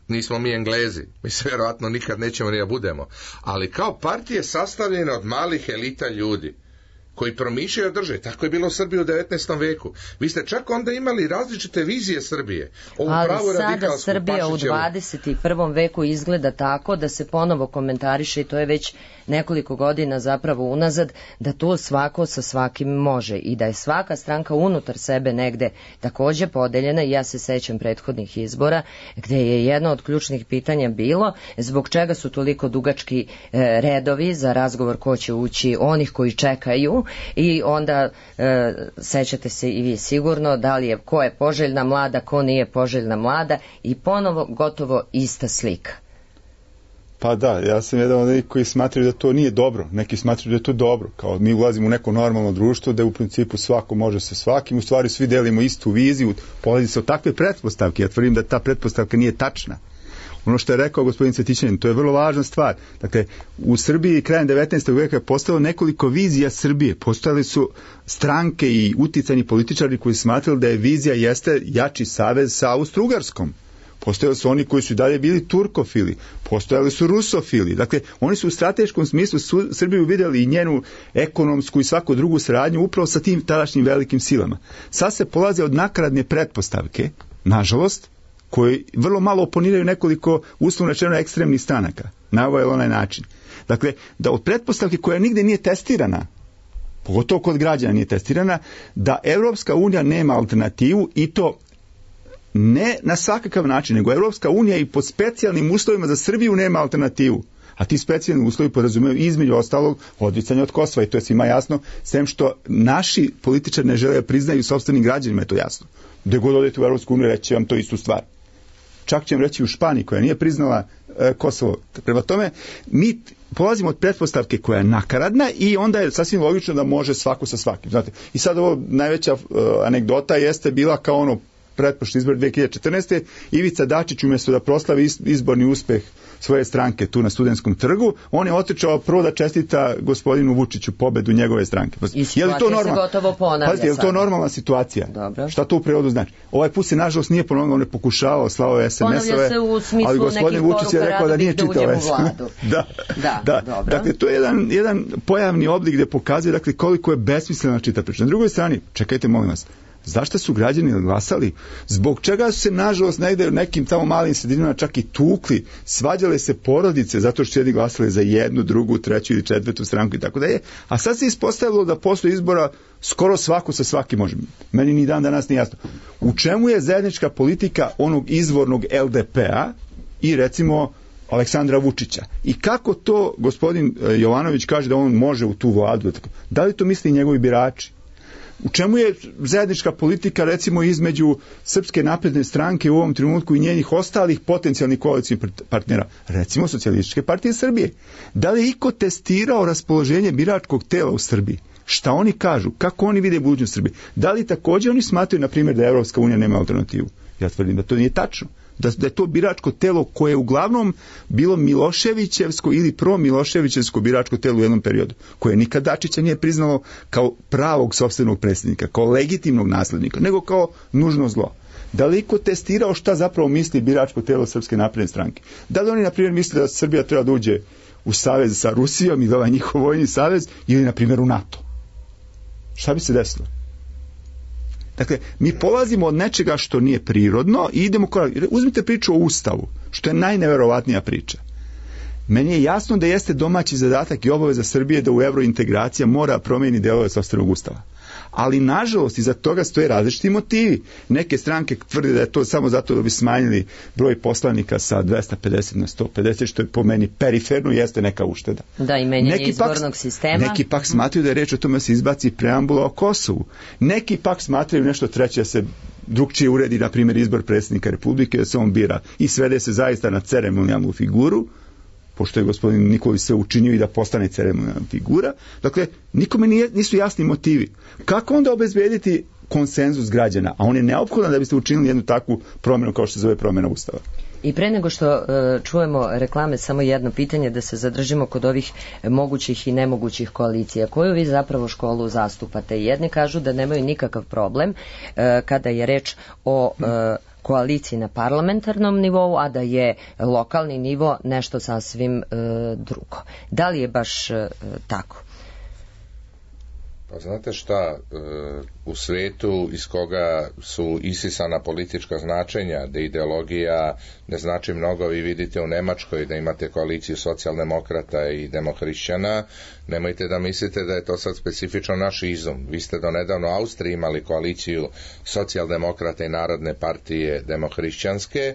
nismo mi Englezi, mi se vjerojatno nikad nećemo ni da budemo, ali kao partije sastavljene od malih elita ljudi koji promišljaju države. Tako je bilo u Srbiji u 19. veku. Vi ste čak onda imali različite vizije Srbije. Ali sada Srbija u 21. veku izgleda tako da se ponovo komentariše, i to je već nekoliko godina zapravo unazad, da tu svako sa svakim može i da je svaka stranka unutar sebe negde takođe podeljena. I ja se sećam prethodnih izbora gde je jedno od ključnih pitanja bilo zbog čega su toliko dugački redovi za razgovor ko će ući, onih koji čekaju. I onda sećate se i vi sigurno da li je ko je poželjna mlada, ko nije poželjna mlada, i ponovo gotovo ista slika. Pa da, ja sam jedan od nekih koji smatraju da to nije dobro, neki smatraju da je to dobro, kao mi ulazimo u neko normalno društvo da u principu svako može sa svakim, u stvari svi delimo istu viziju, polazi se od takve pretpostavke. Ja tvrdim da ta pretpostavka nije tačna. Ono što je rekao gospodin Cvetićanin, to je vrlo važna stvar. Dakle, u Srbiji krajem 19. veka je postalo nekoliko vizija Srbije. Postojali su stranke i uticajni političari koji smatrali da je vizija jeste jači savez sa Austro-Ugarskom. Postojali su oni koji su dalje bili turkofili, postojali su rusofili. Dakle, oni su u strateškom smislu Srbiju vidjeli i njenu ekonomsku i svaku drugu saradnju upravo sa tim tadašnjim velikim silama. Sad se polaze od nakaradne pretpostavke, nažalost, koji vrlo malo oponiraju nekoliko uslovno rečeno ekstremnih stranaka na ovaj ili onaj način. Dakle, da od pretpostavke koja nigde nije testirana, pogotovo kod građana nije testirana, da Evropska unija nema alternativu, i to ne na svakakav način, nego Evropska unija i pod specijalnim uslovima za Srbiju nema alternativu. A ti specijalni uslovi podrazumijevaju između ostalog odricanje od Kosova, i to je svima jasno, sem što naši političari ne žele priznaju sopstvenim građanima, je to jasno. Gde god odete u Evropsku uniju, reći vam to istu stvar. Čak će vam reći u Španiji koja nije priznala Kosovo. Prema tome, mi polazimo od pretpostavke koja je nakaradna i onda je sasvim logično da može svako sa svakim. Znate? I sad ovo najveća anegdota jeste bila kao ono pretprošli izbor 2014. Ivica Dačić umjesto da proslavi izborni uspeh svoje stranke tu na Studentskom trgu, on je otišao prvo da čestita gospodinu Vučiću pobedu njegove stranke. I situacija se gotovo ponavlja. Pazite, je li to normalna situacija? Dobro. Šta to u prevodu znači? Ovaj put se nažalost nije ponovno, on je pokušavao, slao je SMS-ove, ponavlja se u smislu ali gospodin Vučić je rekao da nije čitao SMS. Da. Dakle, to je jedan pojavni oblik gdje pokazuje dakle, koliko je besmislena čita priča. Na drugoj strani, čekajte molim vas, zašto su građani glasali? Zbog čega su se nažalost negde u nekim tamo malim sredinama čak i tukli, svađale se porodice zato što su jedni glasali za jednu, drugu, treću ili četvrtu stranku i tako dalje. A sad se ispostavilo da posle izbora skoro svako sa svakim može. Meni ni dan danas nije jasno. U čemu je zajednička politika onog izvornog LDP-a i recimo Aleksandra Vučića? I kako to gospodin Jovanović kaže da on može u tu vladu? Da li to misli njegovi birači? U čemu je zajednička politika recimo između Srpske napredne stranke u ovom trenutku i njenih ostalih potencijalnih koalicijnih partnera, recimo Socijalističke partije Srbije? Da li je iko testirao raspoloženje biračkog tela u Srbiji? Šta oni kažu? Kako oni vide budućnost Srbije? Da li također oni smatraju, na primjer, da Evropska unija nema alternativu? Ja tvrdim da to nije tačno. Da je to biračko telo koje je uglavnom bilo Miloševićevsko ili pro-Miloševićevsko biračko telo u jednom periodu, koje nikad Dačića nije priznalo kao pravog sopstvenog predsjednika, kao legitimnog naslednika, nego kao nužno zlo. Da li iko testirao šta zapravo misli biračko telo Srpske napredne stranke? Da li oni, na primjer, misle da Srbija treba da uđe u savez sa Rusijom i da ovaj njihov vojni savez ili, na primjer, u NATO? Šta bi se desilo? Dakle, mi polazimo od nečega što nije prirodno i idemo korak. Uzmite priču o Ustavu, što je najneverovatnija priča. Meni je jasno da jeste domaći zadatak i obaveza Srbije da u evrointegracija mora promijeni delove sopstvenog Ustava. Ali, nažalost, iza toga stoje različiti motivi. Neke stranke tvrde da je to samo zato da bi smanjili broj poslanika sa 250 na 150, što je po meni periferno, jeste neka ušteda. Da, i menjanje izbornog sistema. Neki pak smatraju da je reč o tome da se izbaci preambula o Kosovu. Neki pak smatraju nešto treće, da se drugčije uredi, na primjer, izbor predsjednika Republike, da se on bira i svede se zaista na ceremonijalnu figuru, pošto je gospodin Nikolić sve učinio i da postane ceremonijalna figura. Dakle, nikome nisu jasni motivi. Kako onda obezbediti konsenzus građana? A on je neophodan da biste učinili jednu takvu promjenu kao što se zove promjena Ustava. I pre nego što čujemo reklame, samo jedno pitanje da se zadržimo kod ovih mogućih i nemogućih koalicija. Koju vi zapravo školu zastupate? Jedni kažu da nemaju nikakav problem kada je reč o koaliciji na parlamentarnom nivou, a da je lokalni nivo nešto sasvim drugo. Da li je baš tako? Pa znate šta, u svijetu iz koga su isisana politička značenja, da ideologija ne znači mnogo, vi vidite u Nemačkoj da imate koaliciju socijaldemokrata i demohrišćana, nemojte da mislite da je to sad specifično naš izum. Vi ste do nedavno u Austriji imali koaliciju socijaldemokrata i Narodne partije demohrišćanske.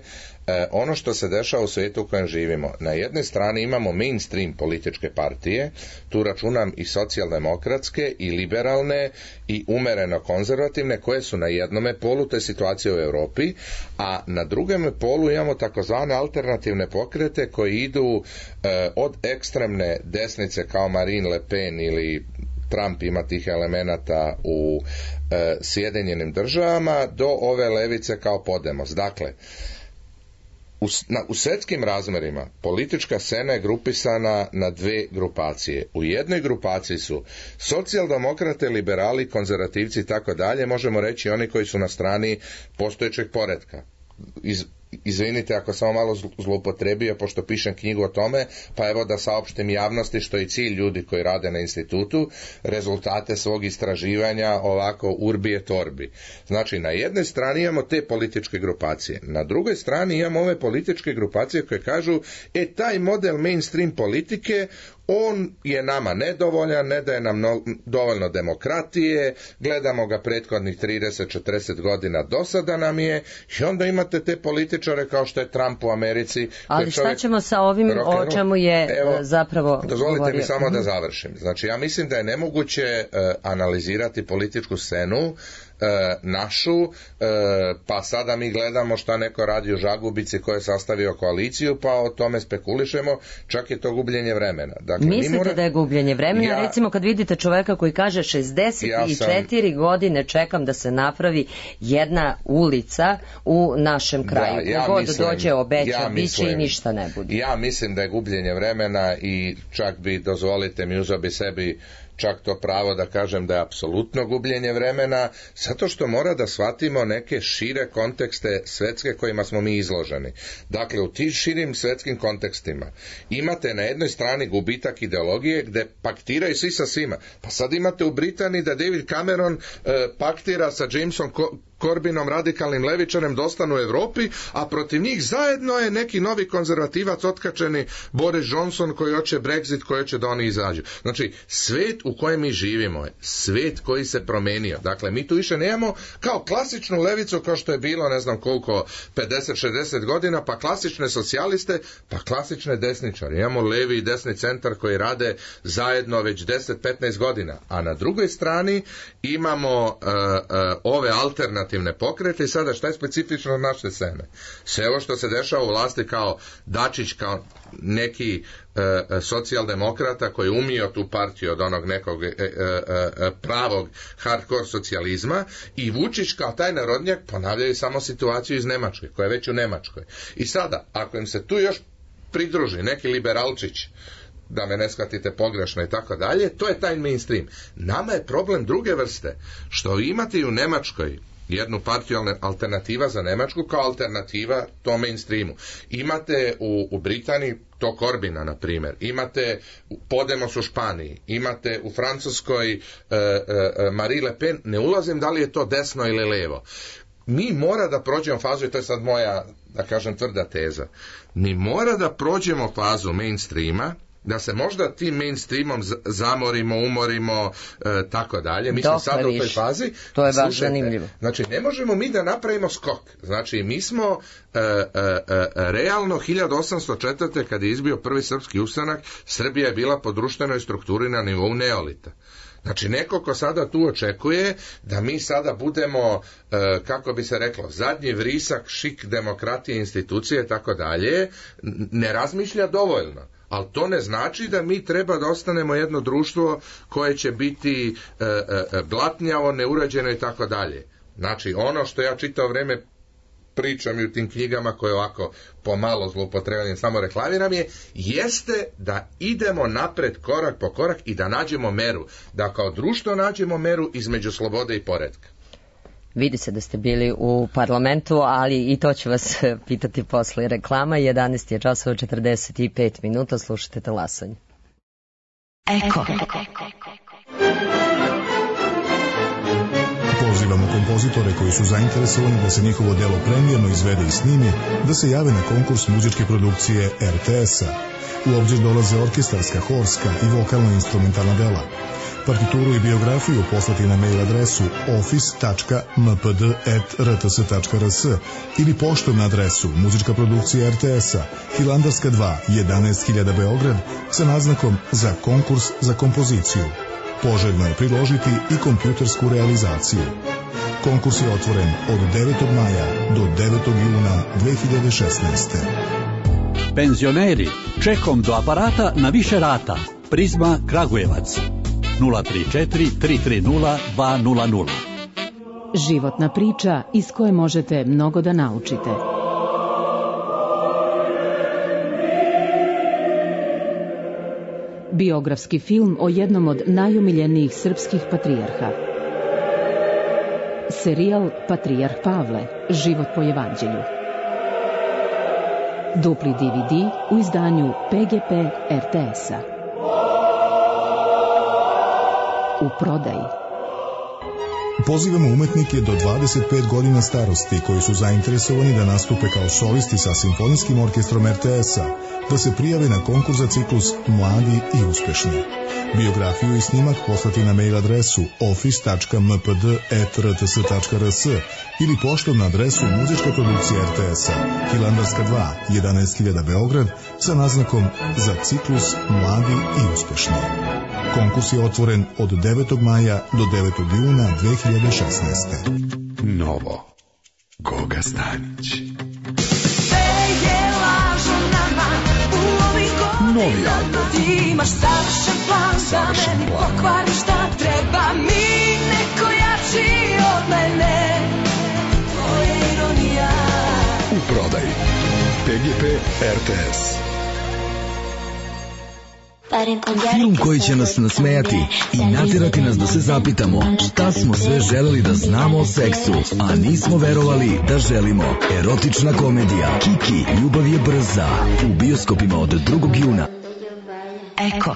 Ono što se dešava u svijetu u kojem živimo, na jednoj strani imamo mainstream političke partije, tu računam i socijaldemokratske i liberalne i umereno konzervativne, koje su na jednome polu, to je situacija u Europi, a na drugom polu imamo takozvane alternativne pokrete koji idu od ekstremne desnice kao Marine Le Pen ili Trump, ima tih elemenata u Sjedinjenim državama, do ove levice kao Podemos. Dakle, u svjetskim razmerima politička scena je grupisana na dve grupacije. U jednoj grupaciji su socijaldemokrate, liberali, konzervativci i tako dalje, možemo reći oni koji su na strani postojećeg poretka. Izvinite ako sam malo zloupotrebio, pošto pišem knjigu o tome, pa evo da saopštim javnosti što je cilj ljudi koji rade na institutu, rezultate svog istraživanja ovako urbi et orbi. Znači, na jednoj strani imamo te političke grupacije, na drugoj strani imamo ove političke grupacije koje kažu, taj model mainstream politike, on je nama nedovoljan, ne daje nam dovoljno demokratije, gledamo ga prethodnih 30-40 godina, dosada nam je, i onda imate te političare kao što je Trump u Americi. Ali šta ćemo sa ovim o čemu je zapravo dozvolite govorio? Mi samo da završim. Znači, ja mislim da je nemoguće analizirati političku scenu našu, pa sada mi gledamo šta neko radi u Žagubici ko je sastavio koaliciju, pa o tome spekulišemo, čak je to gubljenje vremena. Dakle, Dakle, mislite da je gubljenje vremena? Recimo kad vidite čoveka koji kaže 64 godine čekam da se napravi jedna ulica u našem kraju. Kogod dođe obeća, biće i ništa ne bude. Ja mislim da je gubljenje vremena i čak bi, dozvolite mi, uzeo bi sebi čak to pravo da kažem da je apsolutno gubljenje vremena, zato što mora da shvatimo neke šire kontekste svetske kojima smo mi izloženi. Dakle, u tim širim svetskim kontekstima imate na jednoj strani gubitak ideologije gde paktiraju svi sa svima. Pa sad imate u Britaniji da David Cameron paktira sa Jamesom Corbynom, radikalnim levičarem, da ostanu u Evropi, a protiv njih zajedno je neki novi konzervativac otkačeni Boris Johnson koji hoće Brexit, koji hoće da oni izađu. Znači, svet u kojem mi živimo je svet koji se promenio. Dakle, mi tu više nemamo kao klasičnu levicu kao što je bilo, ne znam koliko, 50-60 godina, pa klasične socijaliste, pa klasične desničare. Imamo levi i desni centar koji rade zajedno već 10-15 godina. A na drugoj strani imamo ove alternativne pokrete i sada šta je specifično od naše scene? Sve ovo što se dešava u vlasti kao Dačić, kao neki socijaldemokrata koji je umio tu partiju od onog nekog pravog hardcore socijalizma, i Vučić kao taj narodnjak ponavljaju samo situaciju iz Nemačke, koja je već u Nemačkoj. I sada, ako im se tu još pridruži neki liberalčić, da me ne shvatite pogrešno i tako dalje, to je taj mainstream. Nama je problem druge vrste, što imate i u Nemačkoj jednu partiju alternativa za Nemačku kao alternativa tom mainstreamu. Imate u Britaniji to Corbina, na primjer. Imate Podemos u Španiji. Imate u Francuskoj Marie Le Pen. Ne ulazim da li je to desno ili levo. Mi mora da prođemo fazu, i to je sad moja, da kažem, tvrda teza. Mi mora da prođemo fazu mainstreama, da se možda tim mainstreamom zamorimo, umorimo, tako dalje. Mi smo sad u toj fazi. To je baš zanimljivo. Znači, ne možemo mi da napravimo skok. Znači, mi smo realno 1804. kad je izbio prvi srpski ustanak, Srbija je bila po društvenoj strukturi na nivou neolita. Znači, neko ko sada tu očekuje da mi sada budemo, kako bi se reklo, zadnji vrisak, šik demokratije, institucije, tako dalje, ne razmišlja dovoljno. Ali to ne znači da mi treba da ostanemo jedno društvo koje će biti blatnjavo, neurađeno i tako dalje. Znači, ono što ja čitao vreme pričam i u tim knjigama koje ovako pomalo zloupotrebljavam, samo reklamiram jeste da idemo napred korak po korak i da nađemo meru, da kao društvo nađemo meru između slobode i poretka. Vidi se da ste bili u parlamentu, ali i to ću vas pitati posle reklama. 11 je časova 45 minuta, slušajte talasanje. Eko. Pozivamo kompozitore koji su zainteresovani da se njihovo delo premijerno izvede i snimi, da se jave na konkurs muzičke produkcije RTS-a. U obzir dolaze orkestarska, horska i vokalno-instrumentalna dela. Partituru i biografiju poslati na mail adresu office.mpd@rts.rs ili poštom na adresu Muzička produkcija RTS-a, Hilandarska 2, 11.000 Beograd, sa naznakom za konkurs za kompoziciju. Poželjno je priložiti i kompjutersku realizaciju. Konkurs je otvoren od 9. maja do 9. juna 2016. Penzioneri, čekom do aparata na više rata. Prizma Kragujevac 034 330 200. Životna priča iz koje možete mnogo da naučite. Biografski film o jednom od najomiljenijih srpskih patrijarha. Serijal Patrijarh Pavle, život po evanđelju. Dupli DVD u izdanju PGP RTS-a. U prodaji. Pozivamo umetnike do 25 godina starosti koji su zainteresovani da nastupe kao solisti sa simfonijskim orkestrom RTS-a, da se prijave na konkurs za ciklus Mladi i uspešni. Biografiju i snimak poslati na mail adresu office.mpd@rts.rs ili poštom na adresu Muzička produkcija RTS-a, Hilandarska 2, 11.000 Beograd, sa naznakom za ciklus Mladi i uspešni. Konkurs je otvoren od 9. maja do 9. juna 2016. Novo. Goga Stanić. Novija. Ti imaš savršen plan da meni pokvari šta treba mi, neko jači od mene. To je ironija. U prodaji PGP RTS. Film koji će nas nasmejati i natjerati nas da se zapitamo šta smo sve želeli da znamo o seksu, a nismo verovali da želimo. Erotična komedija Kiki, ljubav je brza. U bioskopima od 2. juna. Eko.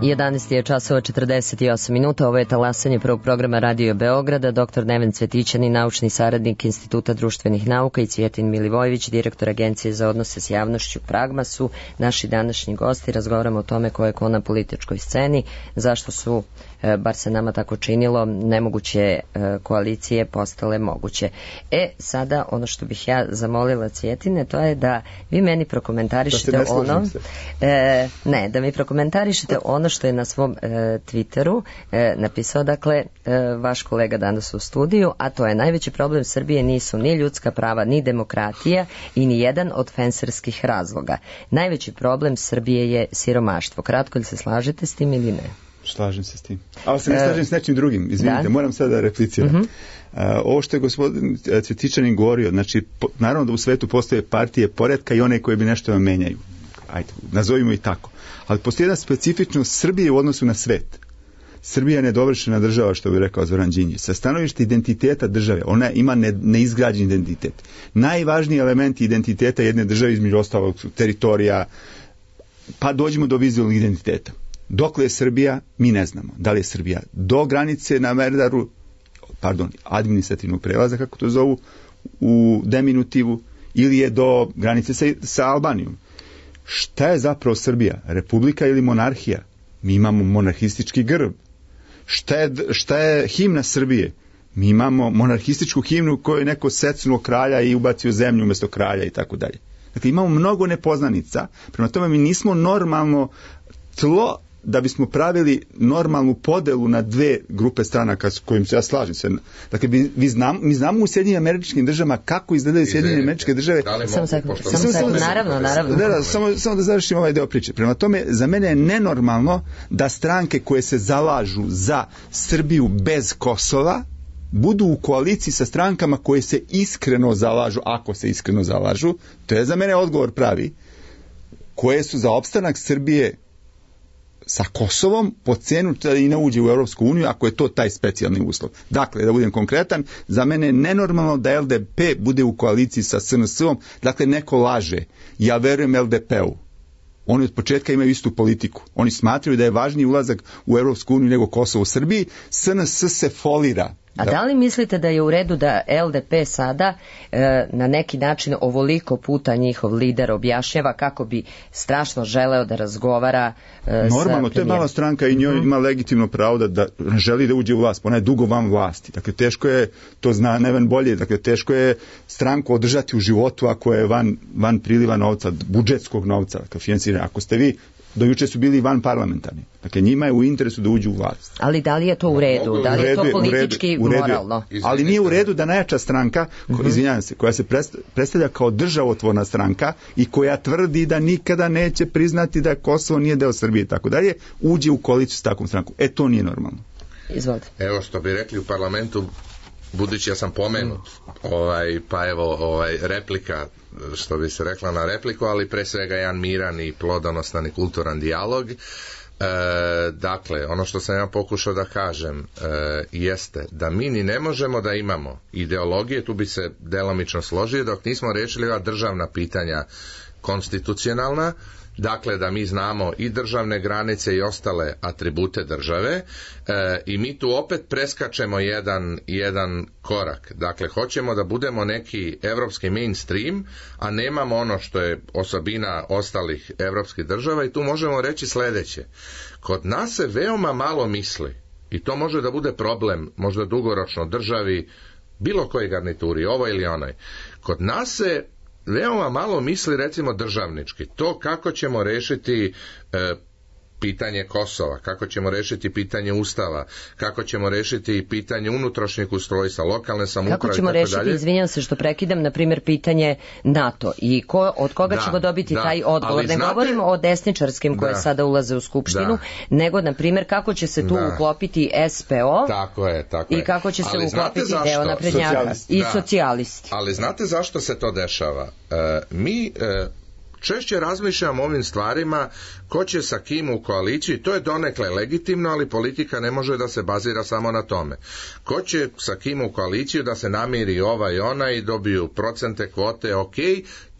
11 je časova 48 minuta, ovo je talasanje prvog programa Radio Beograda. Dr. Neven Cvetićanin, naučni saradnik Instituta društvenih nauka, i Cvjetin Milivojević, direktor Agencije za odnose s javnošću Pragma, su naši današnji gosti. Razgovaramo o tome ko je ko na političkoj sceni, zašto su, bar se nama tako činilo, nemoguće koalicije postale moguće. Sada ono što bih ja zamolila Cvjetine, to je da vi meni prokomentarišete ono... Ne, da mi prokomentarišete ono što je na svom Twitteru napisao, dakle, vaš kolega danas u studiju, a to je: najveći problem Srbije nisu ni ljudska prava, ni demokratija i ni jedan od fenserskih razloga. Najveći problem Srbije je siromaštvo. Kratko, li se slažete s tim ili ne? Slažem se s tim. Ali se ne slažem s nečim drugim. Izvinite, moram sada da repliciram. Ovo što je gospodin Cvetićanin govorio, znači, naravno da u svetu postoje partije poretka i one koje bi nešto menjaju. Ajde, nazovimo i tako. Ali postoji jedna specifičnost Srbije u odnosu na svet. Srbija je nedovršena država, što bi rekao Zoran Đinđić. Sa stanovišta identiteta države, ona ima neizgrađen identitet. Najvažniji element identiteta jedne države, između ostalog, su teritorija, pa dođemo do vizualnog identiteta. Dokle je Srbija, mi ne znamo. Da li je Srbija do granice na Merdaru, administrativnog prelaza, kako to zovu, u deminutivu, ili je do granice sa Albanijom. Šta je zapravo Srbija? Republika ili monarhija? Mi imamo monarhistički grb. Šta je himna Srbije? Mi imamo monarhističku himnu u kojoj je neko secnuo kralja i ubacio zemlju umjesto kralja i tako dalje. Dakle, imamo mnogo nepoznanica, prema tome mi nismo normalno tlo da bismo pravili normalnu podelu na dve grupe stranaka s kojim se ja slažem se. Dakle, mi znamo u Sjedinjenim Američkim Državama kako izgledaju Sjedinjene Američke Države. Naravno. Samo da završim ovaj deo priče. Prema tome, za mene je nenormalno da stranke koje se zalažu za Srbiju bez Kosova budu u koaliciji sa strankama koje se iskreno zalažu, ako se iskreno zalažu, to je za mene odgovor pravi, koje su za opstanak Srbije sa Kosovom po cenu da i ne uđe u Europsku uniju, ako je to taj specijalni uslov. Dakle, da budem konkretan, za mene je nenormalno da LDP bude u koaliciji sa SNS-om, dakle neko laže. Ja verujem LDP-u. Oni od početka imaju istu politiku. Oni smatraju da je važniji ulazak u Europsku uniju nego Kosovo u Srbiji. SNS se folira. A da li mislite da je u redu da LDP sada na neki način ovoliko puta njihov lider objašnjava kako bi strašno želeo da razgovara normalno, to je mala stranka i njoj ima legitimno pravo da želi da uđe u vlast, ona je dugo van vlasti. Dakle, teško je, to zna Neven bolje, dakle, teško je stranku održati u životu ako je van priliva novca, budžetskog novca, dakle, finansiranja. Ako ste vi, do juče su bili van parlamentarni. Dakle, njima je u interesu da uđu u vlast. Ali da li je to u redu? Da li je to politički moralno? Ali nije u redu da najjača stranka, izvinjavam se, koja se predstavlja kao državotvorna stranka i koja tvrdi da nikada neće priznati da Kosovo nije deo Srbije i tako dalje, uđe u koaliciju s takvom strankom. To nije normalno. Izvolite. Evo što bi rekli u parlamentu, budući ja sam pomenut, replika, što bi se rekla na repliku, ali pre svega jedan miran i plodonosan i kulturan dijalog. Dakle, ono što sam ja pokušao da kažem jeste da mi ni ne možemo da imamo ideologije, tu bi se delimično složio, dok nismo rešili ova državna pitanja konstitucionalna. Dakle, da mi znamo i državne granice i ostale atribute države i mi tu opet preskačemo jedan korak. Dakle, hoćemo da budemo neki evropski mainstream, a nemamo ono što je osobina ostalih evropskih država i tu možemo reći sledeće. Kod nas se veoma malo misli i to može da bude problem, možda dugoročno državi, bilo koji garnituri, ovo ili onaj. Kod nas se veoma malo misli, recimo, državnički. To kako ćemo rešiti pitanje Kosova, kako ćemo rešiti pitanje Ustava, kako ćemo rešiti pitanje unutrašnjeg ustrojstva, lokalne samouprave, kako ćemo rešiti, izvinjam se što prekidam, na primjer pitanje NATO i od koga ćemo dobiti taj odgovor. Ne govorimo o desničarskim koje sada ulaze u Skupštinu, nego na primjer kako će se tu uklopiti SPO tako je. I kako će se uklopiti deo naprednjaka i socijalisti. Ali znate zašto se to dešava? Mi češće razmišljamo o ovim stvarima, ko će sa kim u koaliciji, to je donekle legitimno, ali politika ne može da se bazira samo na tome. Ko će sa kim u koaliciju da se namiri ova i ona i dobiju procente, kvote, ok,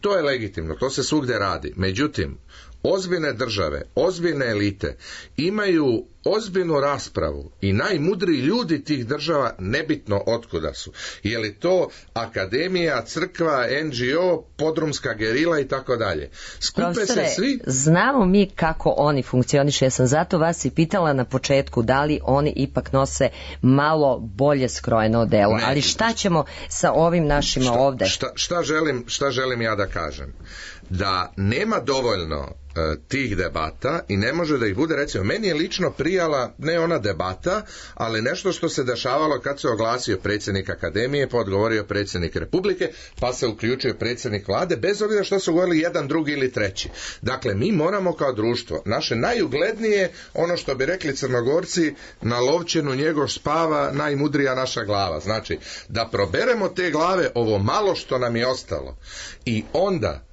to je legitimno, to se svugde radi. Međutim, ozbiljne države, ozbiljne elite imaju ozbiljnu raspravu i najmudriji ljudi tih država, nebitno otkuda su. Je li to akademija, crkva, NGO, podrumska gerila i tako dalje. Skupe se svi... Znamo mi kako oni funkcionišu. Ja sam zato vas i pitala na početku da li oni ipak nose malo bolje skrojeno odelo. Ali šta ćemo sa ovim našima ovde? Šta želim ja da kažem? Da nema dovoljno tih debata i ne može da ih bude, recimo, meni je lično prijala ne ona debata, ali nešto što se dešavalo kad se oglasio predsjednik akademije, pa odgovorio predsjednik Republike, pa se uključio predsjednik vlade, bez obzira što su govorili jedan, drugi ili treći. Dakle, mi moramo kao društvo, naše najuglednije, ono što bi rekli Crnogorci, na lovčenu njegov spava, najmudrija naša glava. Znači, da proberemo te glave, ovo malo što nam je ostalo, i onda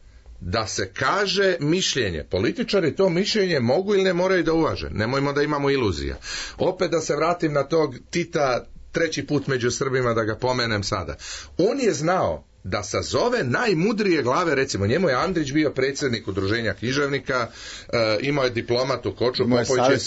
da se kaže mišljenje. Političari to mišljenje mogu ili ne moraju da uvaže. Nemojmo da imamo iluzija. Opet da se vratim na tog Tita, treći put među Srbima, da ga pomenem sada. On je znao da sazove najmudrije glave, recimo njemu je Andrić bio predsjednik udruženja književnika, imao je diplomatu Koču Popović,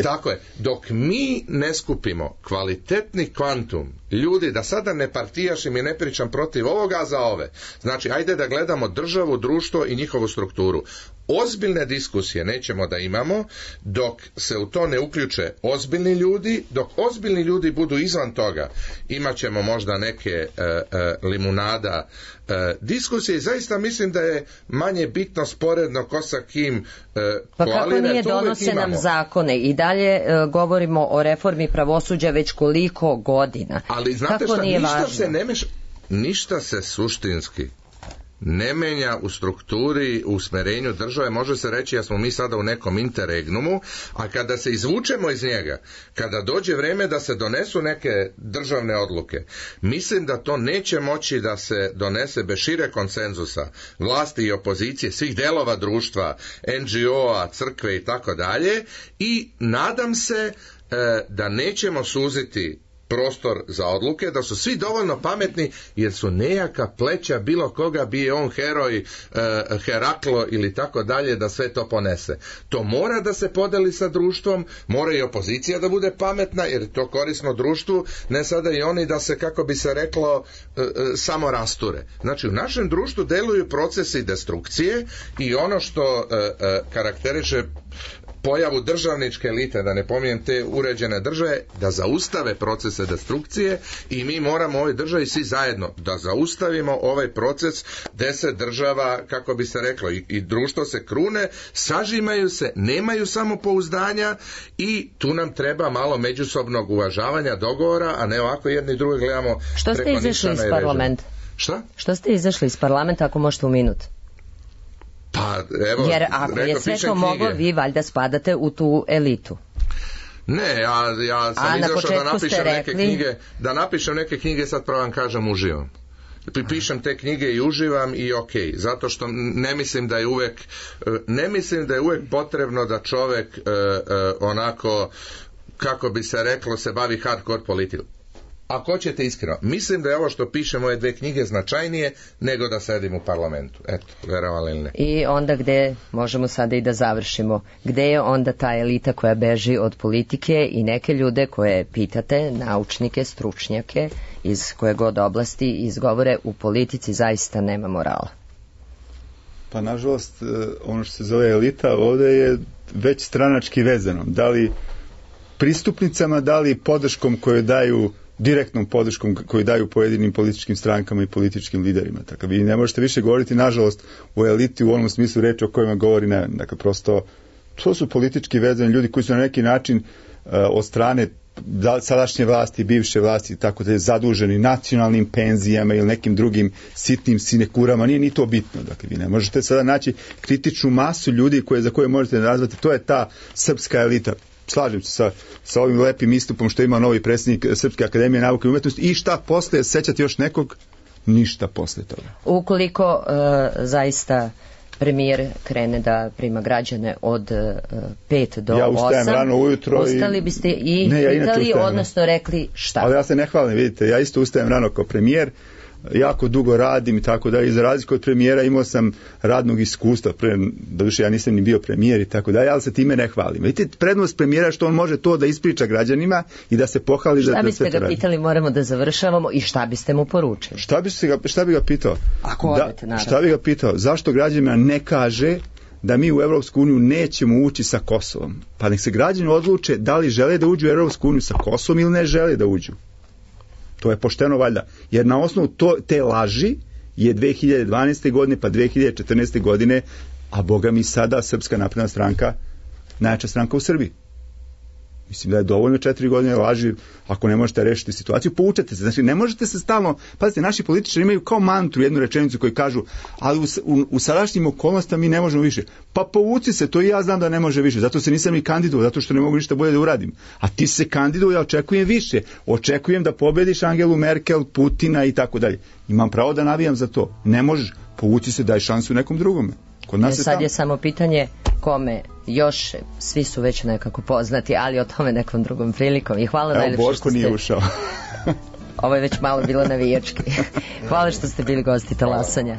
tako je. Dok mi ne skupimo kvalitetni kvantum ljudi, da sada ne partijašim i ne pričam protiv ovoga, a za ove. Znači, ajde da gledamo državu, društvo i njihovu strukturu. Ozbiljne diskusije nećemo da imamo dok se u to ne uključe ozbiljni ljudi, dok ozbiljni ljudi budu izvan toga, imat ćemo možda neke limunada diskusije i zaista mislim da je manje bitno sporedno ko sa kim pa kako nije donose nam zakone i dalje govorimo o reformi pravosuđa već koliko godina. Ali znate kako šta, ništa se suštinski ne menja u strukturi, u usmerenju države. Može se reći da smo mi sada u nekom interregnumu, a kada se izvučemo iz njega, kada dođe vreme da se donesu neke državne odluke, mislim da to neće moći da se donese bez šire konsenzusa vlasti i opozicije, svih delova društva, NGO-a, crkve i tako dalje, i nadam se da nećemo suziti prostor za odluke, da su svi dovoljno pametni, jer su nejaka pleća bilo koga, bi je on heroj, Heraklo ili tako dalje, da sve to ponese. To mora da se podeli sa društvom, mora i opozicija da bude pametna, jer to korisno društvu, ne sada i oni da se, kako bi se reklo, samo rasture. Znači, u našem društvu deluju procesi destrukcije i ono što karakteriše pojavu državničke elite, da ne pominjem te uređene države, da zaustave procese destrukcije i mi moramo u ovoj državi svi zajedno da zaustavimo ovaj proces 10 država, kako bi se reklo, i društvo se krune, sažimaju se, nemaju samopouzdanja i tu nam treba malo međusobnog uvažavanja, dogovora, a ne ovako jedni drugi gledamo. Što ste izašli iz parlamenta? Šta? Što ste izašli iz parlamenta, ako možete u minut? Pa, evo, jer ako je sve to moglo, vi valjda spadate u tu elitu. Ne, ja sam izašao da napišem neke knjige, neke knjige, sad pravo vam kažem, uživam. Pišem te knjige i uživam i ok, zato što ne mislim da je uvek potrebno da čovek onako, kako bi se reklo, se bavi hardcore politikom. Ako hoćete iskreno, mislim da je ovo što pišem ove 2 knjige značajnije nego da sedim u parlamentu. Eto, verovali ili ne. I onda gde, možemo sada i da završimo, gde je onda ta elita koja beži od politike i neke ljude koje pitate, naučnike, stručnjake, iz koje god oblasti izgovore, u politici zaista nema morala? Pa nažalost, ono što se zove elita ovde je već stranački vezano. Da li pristupnicama, da li podrškom koju daju, direktnom podrškom koju daju pojedinim političkim strankama i političkim liderima. Tako vi ne možete više govoriti, nažalost, o eliti u onom smislu reči o kojima govori Neven. Dakle, prosto To su politički vezani ljudi koji su na neki način od strane sadašnje vlasti, bivše vlasti, tako da je zaduženi nacionalnim penzijama ili nekim drugim sitnim sinekurama, nije ni to bitno. Dakle, vi ne možete sada naći kritičnu masu ljudi za koje možete nazvati, to je ta srpska elita. Slažem se sa ovim lepim istupom što ima novi predsjednik Srpske akademije nauke i umetnosti. I šta posle, sećate još nekog? Ništa posle toga. Ukoliko zaista premijer krene da prima građane od 5 do 8. Ja ustajem rano ujutro ustali biste i pitali, odnosno rekli šta? Ali ja se ne hvalim, vidite, ja isto ustajem rano kao premijer, jako dugo radim i tako da, i za razliku od premijera imao sam radnog iskustva, doduše ja nisam ni bio premijer i tako da, ali se time ne hvalim. Vidite, prednost premijera što on može to da ispriča građanima i da se pohvali šta da biste sve to ga radi. Pitali, moramo da završavamo, i šta biste mu poručili? Šta bi ga pitao? Ako odete, naravno. Šta bi ga pitao? Zašto građanima ne kaže da mi u Evropsku uniju nećemo ući sa Kosovom? Pa nek se građani odluče da li žele da uđu u Evropsku uniju sa Kosovom ili ne žele da uđu. To je pošteno valjda. Jer na osnovu te laži je 2012. godine pa 2014. godine, a boga mi sada Srpska napredna stranka najjača stranka u Srbiji. Mislim da je dovoljno 4 godine laži, ako ne možete rešiti situaciju, poučete se. Znači, ne možete se stalno, pazite, naši političari imaju kao mantru jednu rečenicu koju kažu, ali u sadašnjim okolnostima mi ne možemo više. Pa povuci se, to i ja znam da ne može više, zato se nisam ni kandidovao, zato što ne mogu ništa bolje da uradim. A ti se kandiduje, ja očekujem više. Očekujem da pobediš Angelu Merkel, Putina i tako dalje. Imam pravo da navijam za to. Ne možeš, povuci se, daj šansu nekom drugome. Kod nas sad je samo pitanje kome još, svi su već nekako poznati, ali o tome nekom drugom prilikom. I hvala najlepše što ste... Borko nije ušao. Ovo je već malo bilo navijački. Hvala što ste bili gosti talasanja.